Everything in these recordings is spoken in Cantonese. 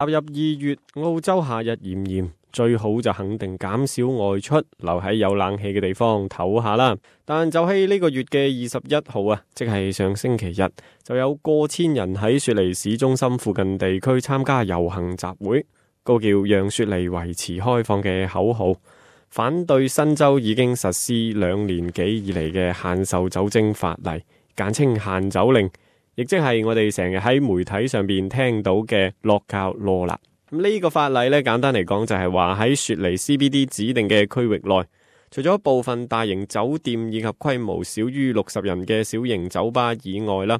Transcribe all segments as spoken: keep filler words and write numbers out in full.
踏入二月，澳洲夏日炎炎，最好就肯定減少外出，留喺有冷氣嘅地方唞下啦。但就喺呢個月嘅二十一號啊，即係上星期日，就有過千人喺雪梨市中心附近地區參加遊行集會，高叫讓雪梨維持開放嘅口號，反對新州已經實施兩年幾以嚟嘅限售酒精法例，簡稱限酒令。亦即係我哋成日喺媒體上邊聽到嘅 Lockout Law 啦。咁呢個法例呢，簡單嚟講就係話喺雪梨 C B D 指定嘅區域內，除咗部分大型酒店以及規模少於六十人嘅小型酒吧以外啦，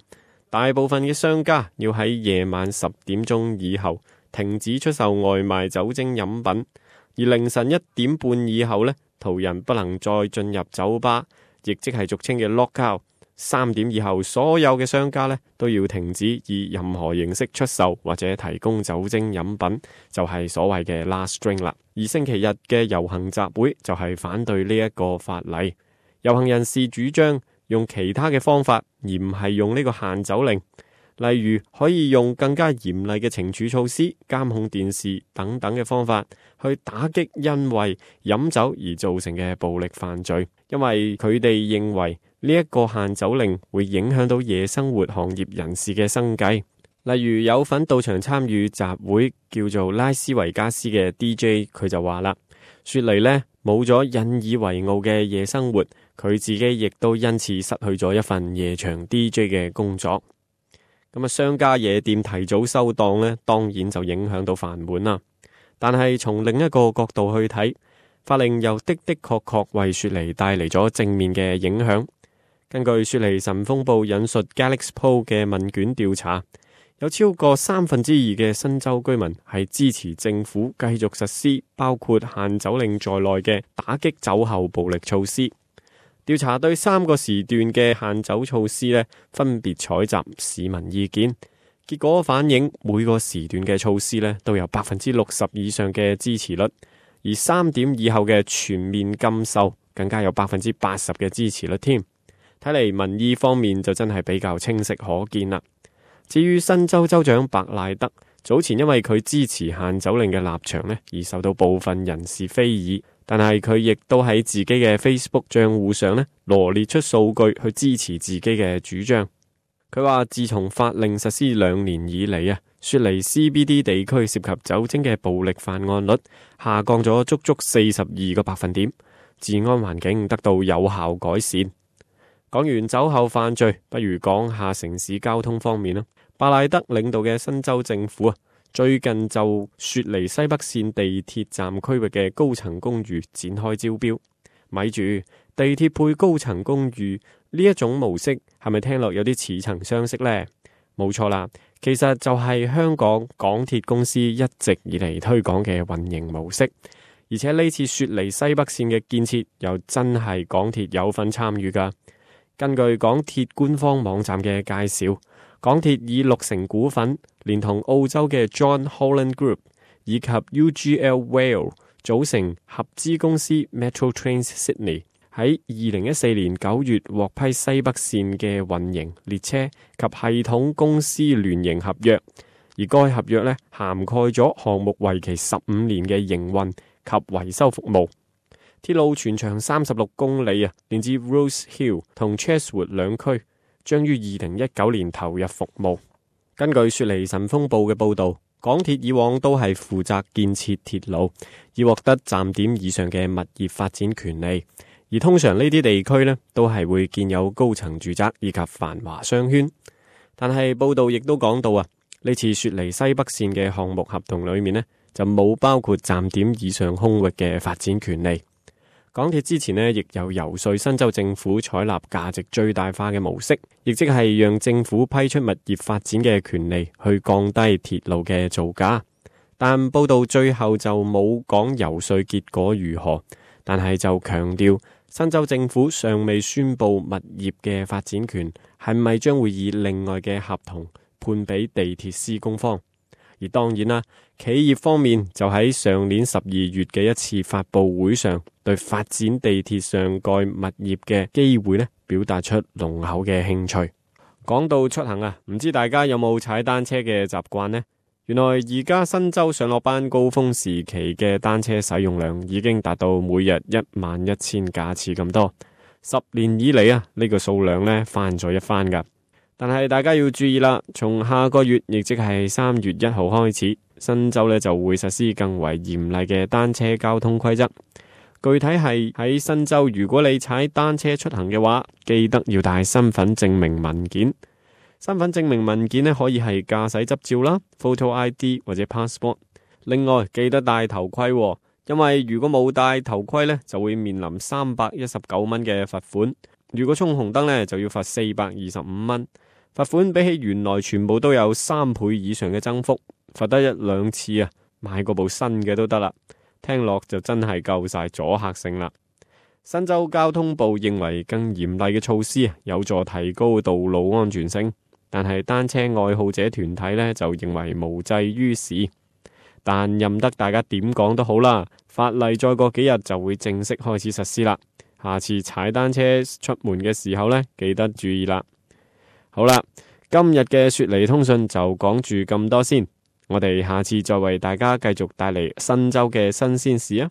大部分嘅商家要喺夜晚十點鐘以後停止出售外賣酒精飲品，而凌晨一點半以後呢，途人不能再進入酒吧，亦即係俗稱嘅 Lockout。三點以後，所有嘅商家呢都要停止以任何形式出售或者提供酒精飲品，就係所謂嘅 last drink 啦。而星期日嘅遊行集會就係反對呢一個法例。遊行人士主張用其他嘅方法，而唔係用呢個限酒令，例如可以用更加嚴厲嘅懲處措施、監控電視等等嘅方法去打擊因為飲酒而造成嘅暴力犯罪，因為佢哋認為呢一個限酒令會影響到夜生活行業人士嘅生計。例如有份到場參與集會叫做拉斯維加斯嘅 D J， 佢就話啦，雪梨呢冇咗引以為傲嘅夜生活，佢自己亦都因此失去咗一份夜場 D J 嘅工作。咁啊，商家夜店提早收檔呢，當然就影響到飯碗啦。但係從另一個角度去睇，法令又的的確確為雪梨帶嚟咗正面嘅影響。根據雪梨晨鋒報引述 Galaxpo 嘅問卷調查，有超過三分之二嘅新州居民係支持政府繼續實施包括限酒令在內嘅打擊酒後暴力措施。調查對三個時段嘅限酒措施呢，分別採集市民意見，結果反映每個時段嘅措施呢都有百分之六十以上嘅支持率，而三點以後嘅全面禁售更加有百分之八十嘅支持率添。睇嚟民意方面就真係比較清晰可見啦。至於新州州長白賴德，早前因為佢支持限酒令嘅立場呢，而受到部分人士非議，但係佢亦都喺自己嘅 Facebook 賬戶上呢羅列出數據去支持自己嘅主張。佢話自從法令實施兩年以嚟啊，雪梨 C B D 地區涉及酒精嘅暴力犯案率下降咗足足四十二個百分點，治安環境得到有效改善。講完酒後犯罪，不如講下城市交通方面啦。白賴德領導嘅新州政府啊，最近就雪梨西北線地鐵站區域嘅高層公寓展開招標。咪住，地鐵配高層公寓呢一種模式係咪聽落有啲似曾相識呢？冇錯啦，其實就係香港港鐵公司一直以嚟推廣嘅運營模式。而且呢次雪梨西北線嘅建設又真係港鐵有份參與噶。根據港鐵官方網站嘅介紹，港鐵以六成股份，連同澳洲嘅 John Holland Group 以及 U G L Rail 組成合資公司 Metro Trains Sydney， 喺二零一四年九月獲批西北線嘅運營列車及系統公司聯營合約，而該合約呢涵蓋咗項目為期十五年嘅營運及維修服務。鐵路全長三十六公里啊，連接 Rose Hill 同 Chatswood 兩區，將於二零一九年投入服務。根據雪梨晨鋒報嘅報道，港鐵以往都係負責建設鐵路，以獲得站點以上嘅物業發展權利。而通常呢啲地區呢，都係會建有高層住宅以及繁華商圈。但係報道亦都講到啊，呢次雪梨西北線嘅項目合同裏面呢，就冇包括站點以上空域嘅發展權利。港鐵之前呢，亦有游說新州政府採納價值最大化嘅模式，亦即係讓政府批出物業發展嘅權利，去降低鐵路嘅造價。但報道最後就冇講游說結果如何，但係就強調新州政府尚未宣布物業嘅發展權係咪將會以另外嘅合同判俾地鐵施工方。而當然啦，企業方面就喺上年十二月嘅一次發佈會上，對發展地鐵上蓋物業嘅機會呢，表達出濃厚嘅興趣。講到出行啊，唔知大家有冇踩單車嘅習慣呢？原來而家新州上落班高峰時期嘅單車使用量已經達到每日一萬一千架次咁多，十年以嚟啊，呢個數量呢翻咗一番噶。但係大家要注意啦，從下個月，亦即係三月一號開始，新州呢就會實施更為嚴厲嘅單車交通規則。具體係喺新州，如果你踩單車出行嘅話，記得要帶身份證明文件。身份證明文件呢，可以係駕駛執照啦、Photo I D 或者 Passport。另外記得戴頭盔喎，因為如果冇戴頭盔呢，就會面臨三百一十九蚊嘅罰款。如果衝紅燈呢，就要罰四百二十五蚊。罰款比起原來全部都有三倍以上嘅增幅，罰得一兩次啊，買過部新嘅都得啦。聽落就真係夠晒阻嚇性啦。新州交通部認為更嚴厲嘅措施有助提高道路安全性。但係單車愛好者團體呢，就認為無濟於事，但任得大家點講都好啦，法例再過幾日就會正式開始實施啦。下次踩單車出門嘅時候呢，記得注意啦。好啦，今日嘅雪梨通訊就講住咁多先，我哋下次再為大家繼續帶嚟新州嘅新鮮事啊。